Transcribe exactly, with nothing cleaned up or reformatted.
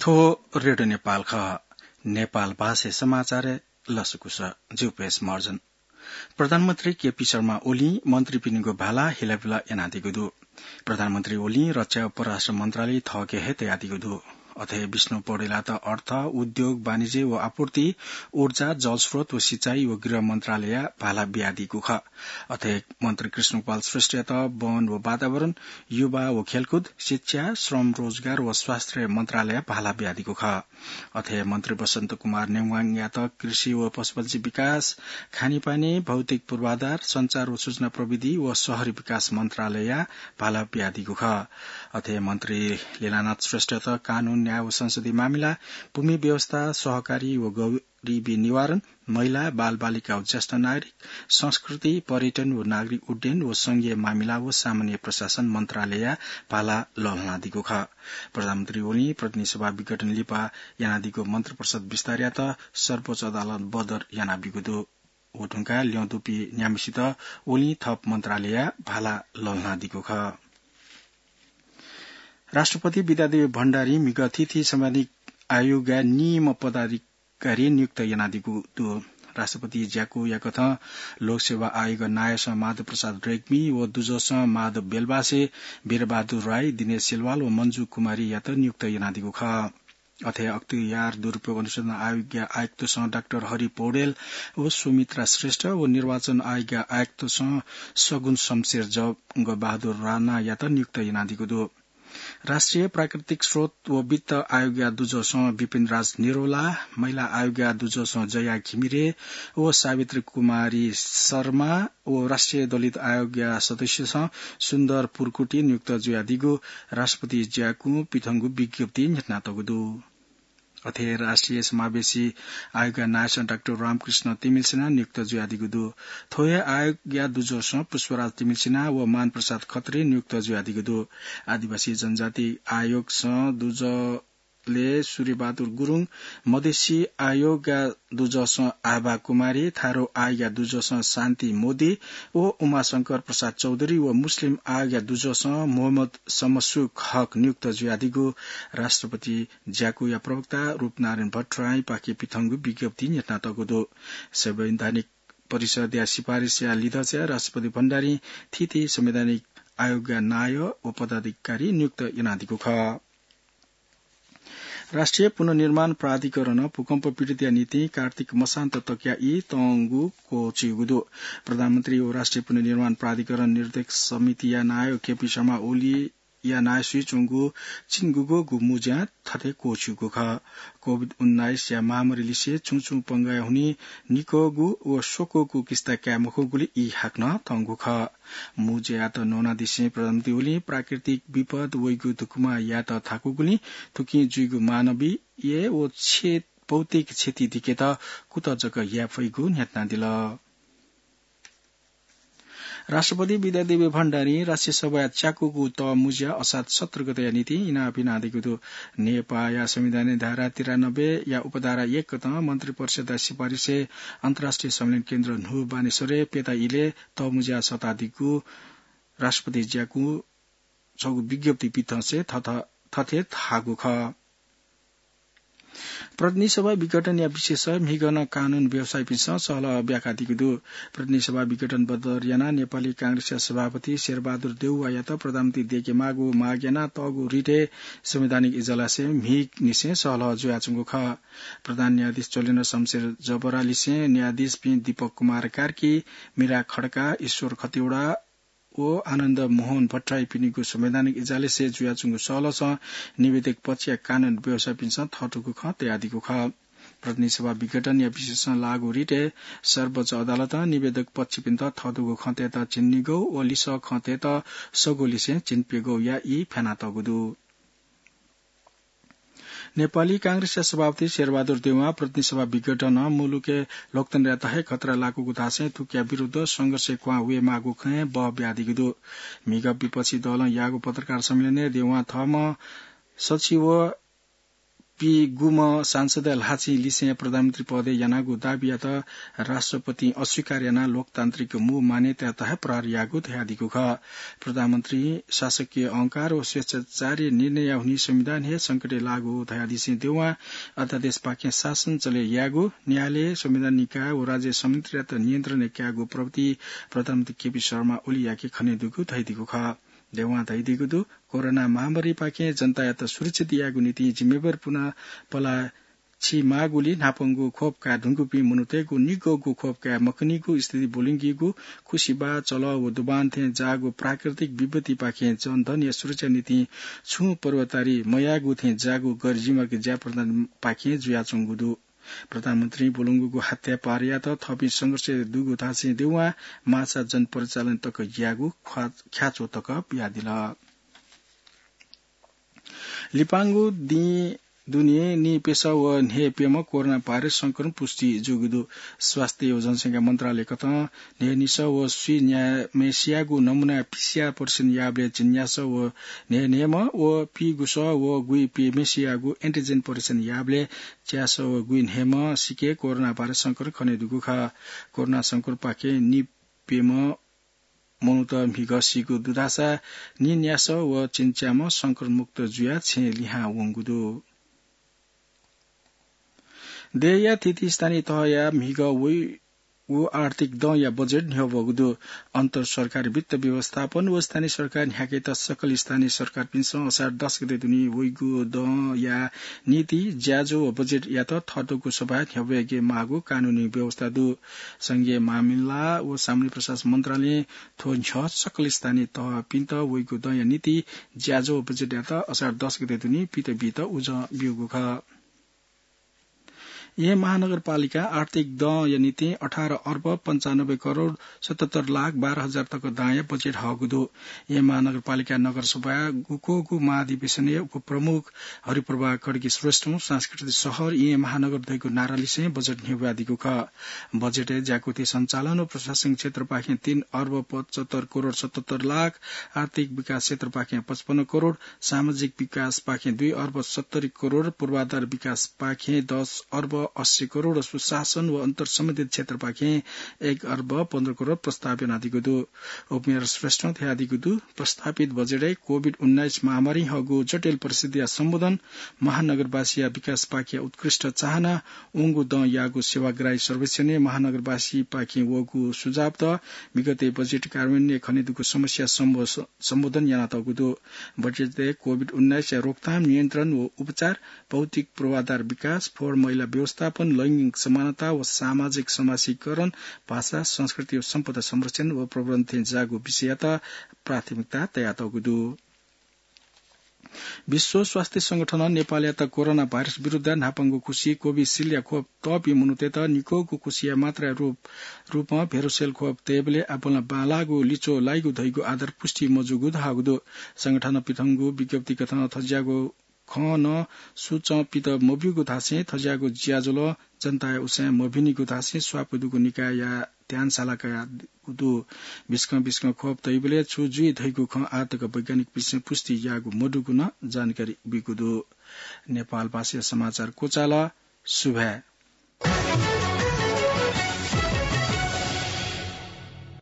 थ्व रेडियो नेपाल खः। नेपाल भाषाय् समाचार लसकुस। जिगु पेश महर्जन। प्रधानमन्त्री केपी शर्मा ओलीं मन्त्रीपिनिगु भाला हिलाबिला यानादीगु दु। प्रधानमन्त्री ओलीं रक्षा व परराष्ट्र मन्त्रालय थःके हे तयादीगु दु। अथे विष्णु पौडेलयात अर्थ, उद्योग, वाणिज्य व आपूर्ति, ऊर्जा, जलस्रोत व सिँचाइ व गृह मन्त्रालयया भाला बियादीगु खः। अथे मन्त्री कृष्णगोपाल श्रेष्ठयात वन व वातावरण, युवा व खेलकुद, शिक्षा, श्रम रोजगार व स्वास्थ्य मन्त्रालयया भाला बियादीगु खः। अथे मन्त्री वसन्त कुमार नेवाङयात कृषि व पशुपन्छी विकास, खानेपानी, भौतिक पूर्वाधार, सञ्चार व सूचना प्रविधि व शहरी विकास मन्त्रालयया भाला बियादीगु खः। अथे मन्त्री लीलानाथ श्रेष्ठयात कानून, न्याय व संसदीय मामिला, भूमि व्यवस्था, सहकारी व गरिबी निवारण, महिला, बालबालिका व ज्येष्ठ नागरिक, संस्कृति, पर्यटन व नागरिक उड्डयन व संघीय मामिला व सामान्य प्रशासन मन्त्रालयया भाला लःल्हानादीगु खः। प्रधानमन्त्री ओलीं प्रतिनिधि सभा विघटन लिपा यानादीगु मन्त्रिपरिषद विस्तारयात सर्वोच्च अदालतं बदर यानाबीगु दु। व धुंकाः ल्यं दुपिं न्याम्हेसित ओलीं थप मन्त्रालयया भाला लःल्हानादीगु खः। राष्ट्रपति विद्यादेवी भण्डारीं म्हिगः थीथी संवैधानिक आयोगया निम्ह पदाधिकारी नियुक्त यानादीगु दु। राष्ट्रपति ज्याकूया कथं लोकसेवा आयोग नायःसं माधव प्रसाद रेग्मी व दुजःसं माधव बेलबासे वीरबहादुर राई, दिनेश सिलवाल व मञ्जु कुमारीयात नियुक्त यानादीगु खः। अथे अख्तियार दुरुपयोग अनुसन्धान आयोगया आयुक्तसं डाक्टर हरि पौडेल व सुमित्रा श्रेष्ठ व निर्वाचन आयोगया आयुक्तसं सगुन शमशेर जंगबहादुर राणायात नियुक्त यानादीगु दु। राष्ट्रिय प्राकृतिक स्रोत व वित्त आयोगया दुजःसं विपिन राज निरौला, महिला आयोगया दुजःसं जया घिमिरे व सावित्री कुमारी शर्मा व राष्ट्रिय दलित आयोगया सदस्यसं सुन्दर पुर्कुटी नियुक्त जुयादीगु राष्ट्रपति ज्याकुं पिथंगु विज्ञप्ति न्ह्यथनातःगु दु। अथे राष्ट्रिय समावेशी आयोगया नायःसं डाक्टर रामकृष्ण तिमिल्सिना नियुक्त जुयादीगु दु। थ्व हे आयोगया दुजःसं पुष्पराज तिमिल्सिना व मानप्रसाद खत्री नियुक्त जुयादीगु दु। आदिवासी जनजाति आयोगसं दुजले सूर्यबहादुर गुरुङ, मधेसी आयोगया दुजःसं आभा कुमारी, थारो आयोगया दुजःसं शान्ति मोदी व उमाशंकर प्रसाद चौधरी व मुस्लिम आयोगया दुजःसं मोहम्मद समसुक हक नियुक्त जुयादीगु राष्ट्रपति ज्याकुया प्रवक्ता रूपनारायण भट्टराईपाखें पिथंगु विज्ञप्ति न्ह्यथनातःगु दु। संवैधानिक परिषदया सिफारिसया लिधंचाय् राष्ट्रपति भण्डारीं थीथी संवैधानिक आयोगया नायः व पदाधिकारी नियुक्त यानादीगु खः। राष्ट्रिय पुनर्निर्माण प्राधिकरणं भूकम्प पीडितया निंतिं कार्तिक मसान्त तकया ई तंगु क्वःछिउगु दु। प्रधानमन्त्री व राष्ट्रिय पुनर्निर्माण प्राधिकरण निर्देशक समितिया नायः केपी शर्मा ओलीया नायःसुइ च्वंगु चिनगुगोगु मुँज्यां थथे क्वःछिउगु खः। कोभिड उन्नाइसया महामारीलिसे छुं छुं पंगाया हुनिं निकःगु व स्वकःगु किस्ता काये मखंगुलिं ई हाकनं तंगु खः। मुँज्यायात न्वनादिसें प्रधानमन्त्री ओलीं प्राकृतिक विपद वइगु धुकुमा यायेत थाकूगुलिं थुकिं जुइगु मानवीय व क्षे-, भौतिक क्षति दिकेत कुतः जक याये फइगु न्ह्यथनादिल। राष्ट्रपति विद्यादेवी भण्डारीं राष्ट्रिय सभाया च्याकूगु तःमुँज्या असात सत्र गतेया निंतिं इनाप यानादीगु दु। नेपाःया संविधानया धारा तिरानब्बेया उपधारा एक कथं मन्त्रिपरिषदया सिफारिसय् अन्तर्राष्ट्रिय सम्मेलन केन्द्र न्हू बानेश्वरय् प्यता इलय् तःमुँज्या सःतादीगु राष्ट्रपति ज्याकुं छगू विज्ञप्ति पिथंसे थथ-, थथे धाःगु खः। प्रतिनिधि सभा विघटनया विषयय् म्हिगः नं कानून व्यवसायीपिन्सं सहलह ब्याकादीगु दु। प्रतिनिधि सभा विघटन बदर यानाः नेपाली कांग्रेसया सभापति शेरबहादुर देउवायात प्रधानमन्त्री दयेकेमाःगु माग यानाः तःगु रिटय् संवैधानिक इजलासय् म्हिगःनिसें सहलह जुयाच्वंगु खः। प्रधान न्यायाधीश चोलेन्द्र शमशेर जबरा लिसें न्यायाधीशपिं दीपक कुमार कार्की, मीरा खड्का, ईश्वर खतिवडा, व आनन्द मोहन भट्टराईपिनिगु संवैधानिक इजलासय् जुयाच्वंगु सहलहसं निवेदक पक्षया कानून व्यवसायीपिन्सं थःथूगु खँ तयादीगु खः। प्रतिनिधि सभा विघटनया विषयय् लागू रिटय् सर्वोच्च अदालतं निवेदक पक्षपिन्त थःथूगु खँ तयेत झिंनिगौ व लिसः खँ तयेत सगौ लिसें झिंप्यगौया ई फ्यानातःगु दु। नेपाली कांग्रेसया सभापति शेरबहादुर देउवां प्रतिनिधि सभा विघटनं मुलुकय् लोकतन्त्रयात हे खतरा लाकूगु धासें थुकिया विरुद्ध संघर्षय् क्वहां वयेमाःगु खँय् बः बियादीगु दु। म्हिगः विपक्षी दलं याःगु पत्रकार सम्मेलनय् देउवां थःम्हं सचिव पीगुम्ह सांसदया ल्हाःचिं लिसें प्रधानमन्त्री पदय् यानागु दाबीयात राष्ट्रपतिं अस्वीकार यानाः लोकतान्त्रिक मू मान्यतायात हे प्रहार याःगु धयादीगु खः। प्रधानमन्त्री शासकीय अहंकार व स्वेच्छाचारी निर्णयया हुनिं संविधान हे संकटय् लाःगु धयादिसें देवां अध्यादेशपाखें शासन चले यायेगु, न्यायालय, संविधान निकाय व राज्य संयन्त्रयात नियन्त्रणय् कायेगु प्रभृति प्रधानमन्त्री केपी शर्मा ओलीयाके खनेदुगु धयादीगु खः। देवां धयादीगु दु, कोरोना महामारीपाखें जनतायात सुरक्षित यायेगु निंतिं जिम्मेवारीपूर्ण पला छि माःगुलिं न्हापांगु खोप काये धुंकूपिं मनूतय्‌गु निगःगु खोप काये मखनीगु स्थिति ब्वलंकीगु खुसिबाः, चलः व दुबान थें जाःगु प्राकृतिक विपत्तिपाखें जनधनया सुरक्षा निंतिं छुं पूर्वाधारी मयाःगु थें जाःगु गैरजिम्मेवार ज्या प्रधानमन्त्रीपाखें जुयाच्वंगु दु। प्रधानमन्त्रीं ब्वलंगु हत्या प्रहारयात थःपिं संघर्ष दुगु धासें देवां माछा जनपरिचालन तक यायेगु ख्वा-, ख्याच्वः तक बियादिल। लिपांगु दिं दुने नीप्यसः व न्हय्‌प्यम्ह कोरोना भाइरस संक्रमण पुष्टि जूगु दु। स्वास्थ्य व जनसंख्या मन्त्रालयकथं न्हय्‌निसः व स्वीन्याम्हय्‌सियागु नमूना पीसीआर परीक्षण याःबलय् झिंन्यासः व न्हय्‌न्हय्‌म्ह व पीगुसः व गुइप्यम्हय्‌सियागु एन्टिजेन परीक्षण याःबलय् च्यासः व गुइन्हय्‌म्ह सिके कोरोना भाइरस संक्रमण खनेदुगु खः। कोरोना संक्रमणपाखें नीप्यम्ह मनूत म्हिगः सीगु दु धाःसा नीन्यासः व झिंच्याम्ह संक्रमणमुक्त जुयाः छेँय् लिहां वंगु दु। देय्‌या थीथी स्थानीय तहया म्हिगः वइगु आर्थिक दँया बजेट न्ह्यब्वःगु दु। अन्तर सरकारी वित्त व्यवस्थापन व स्थानीय सरकार न्ह्याकेत सकल स्थानीय सरकारपिन्सं असार दस गते दुने वइगु दँया निंतिं ज्याझ्वः व बजेटयात थःतःगु सभाय् न्ह्यब्वयेके माःगु कानूनी व्यवस्था दु। संघीय मामिला व सामान्य प्रशासन मन्त्रालयं थ्व न्ह्यः सकल स्थानीय तहपिन्त वइगु दँया निंतिं ज्याझ्वः व बजेटयात असार दस गते दुने पित बीत उजं ब्यूगु खः। येँ महानगरपालिकां आर्थिक दँया निंतिं अठार अर्ब पन्चानब्बे करोड सतहत्तर लाख बाह्र हजार तक दांया बजेट हःगु दु। येँ महानगरपालिका नगरसभाया गुक्वःगु महाधिवेशनय् उपप्रमुख हरिप्रभा खड्गी श्रेष्ठं सांस्कृतिक शहर येँ महानगर धइगु नारा लिसें बजेट न्ह्यब्वयादीगु खः। बजेटय् ज्याकुथि सञ्चालन व प्रशासनिक क्षेत्रपाखें तीन अर्ब पचहत्तर करोड सतहत्तर लाख, आर्थिक विकास क्षेत्रपाखें पचपन्न करोड, सामाजिक विकासपाखें दुई अर्ब सत्तरी करोड, पूर्वाधार विकासपाखें दस अर्ब अस्सी करोड, सुशासन व अन्तर सम्बन्धित क्षेत्रपाखें एक अर्ब पन्ध्र करोड प्रस्ताव यानादीगु दु। उपमेयर श्रेष्ठं धयादीगु दु, प्रस्तावित बजेटय् कोभिड उन्नाइस महामारीं हःगु जटिल परिस्थितिया सम्बोधन, महानगरवासीया विकासपाखें उत्कृष्ट चाहना, वंगु दँ याःगु सेवाग्राही सर्वेक्षणय् महानगरवासीपाखें वःगु सुझावत, विगतय् बजेट कार्यान्वयनय् खनेदुगु समस्या सम्बो-, सम्बोधन यानातःगु दु। बजेटय् कोभिड उन्नाइसया रोकथाम, नियन्त्रण व उपचार, भौतिक पूर्वाधार विकास, फोहोर मैला व्यवस्थापन, लैंगिक समानता व सामाजिक समाजीकरण, भाषा, संस्कृति व सम्पदा संरक्षण व प्रवर्धन थें जाःगु विषययात प्राथमिकता तयातःगु दु। विश्व स्वास्थ्य संगठनं नेपालयात कोरोना भाइरस विरुद्ध न्हापांगु खुसी कोभिसिल्डया खोप तःपिं मनूतय्‌त निकःगु खुसीया मात्राया रूप, रूपं भेरोसेल खोप तयेबलय् आपालं बांलाःगु लिच्वः लाइगु धइगु आधार पुष्टि मजूगु धाःगु दु। संगठनं पिथंगु विज्ञप्तिकथं थज्याःगु खँ नं सुचं पित मब्यूगु धासें थज्याःगु ज्याझ्वलं जनताया उसाँय् मभिनिगु धासें स्वापू दुगु निकायया ध्यान साला कयागु दु। बिस्कं बिस्कं खोप तइबलय् छु जुइ धइगु खँ आः तक वैज्ञानिकपिन्सं पुष्टि याःगु मदुगु नं जानकारी बीगु दु। नेपाल भाषाया समाचार क्वचाल। सुभाय्।